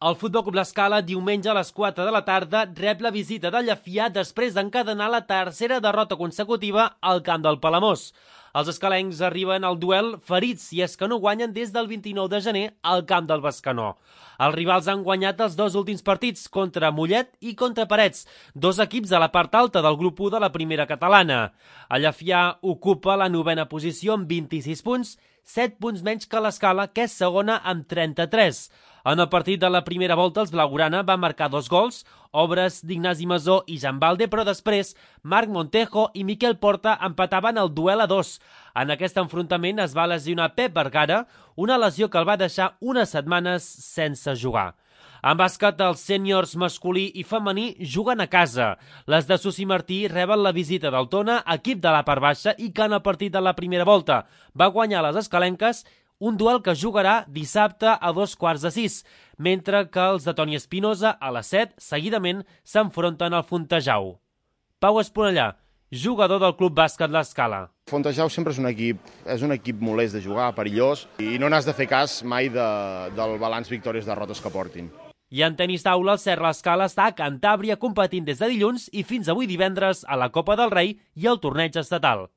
El Futbol Club L'Escala, diumenge a les 4 de la tarda, rep la visita del Llefià després d'encadenar la tercera derrota consecutiva al camp del Palamós. Els escalencs arriben al duel ferits i és que no guanyen des del 29 de gener al camp del Bescanó. Els rivals han guanyat els dos últims partits contra Mollet i contra Parets, dos equips a la part alta del grup 1 de la primera catalana. El Llefià ocupa la 9a posició amb 26 punts, 7 punts menys que l'Escala, que és segona amb 33. En el partit de la primera volta, els blaugrana van marcar 2 gols, obres d'Ignasi Masó i Jan Balde, però després Marc Montejo i Miquel Porta empataven el duel a 2. En aquest enfrontament es va lesionar Pep Vergara, una lesió que el va deixar unes setmanes sense jugar. En bàsquet, els sèniors masculí i femení juguen a casa. Les de Susi Martí reben la visita del Tona, equip de la part baixa, i que en el partit de la primera volta va guanyar les escalenques, un duel que jugarà dissabte a 5:15, mentre que els de Toni Espinosa a les 7, seguidament, s'enfronten al Fontejau. Pau Esponellà, jugador del Club Bàsquet L'Escala. Fontejau sempre és un equip molest de jugar, perillós, i no n'has de fer cas mai del balanç victòries-derrotes que portin. I en tenis taula, el Serra L'Escala està a Cantàbria competint des de dilluns i fins avui divendres a la Copa del Rei i al torneig estatal.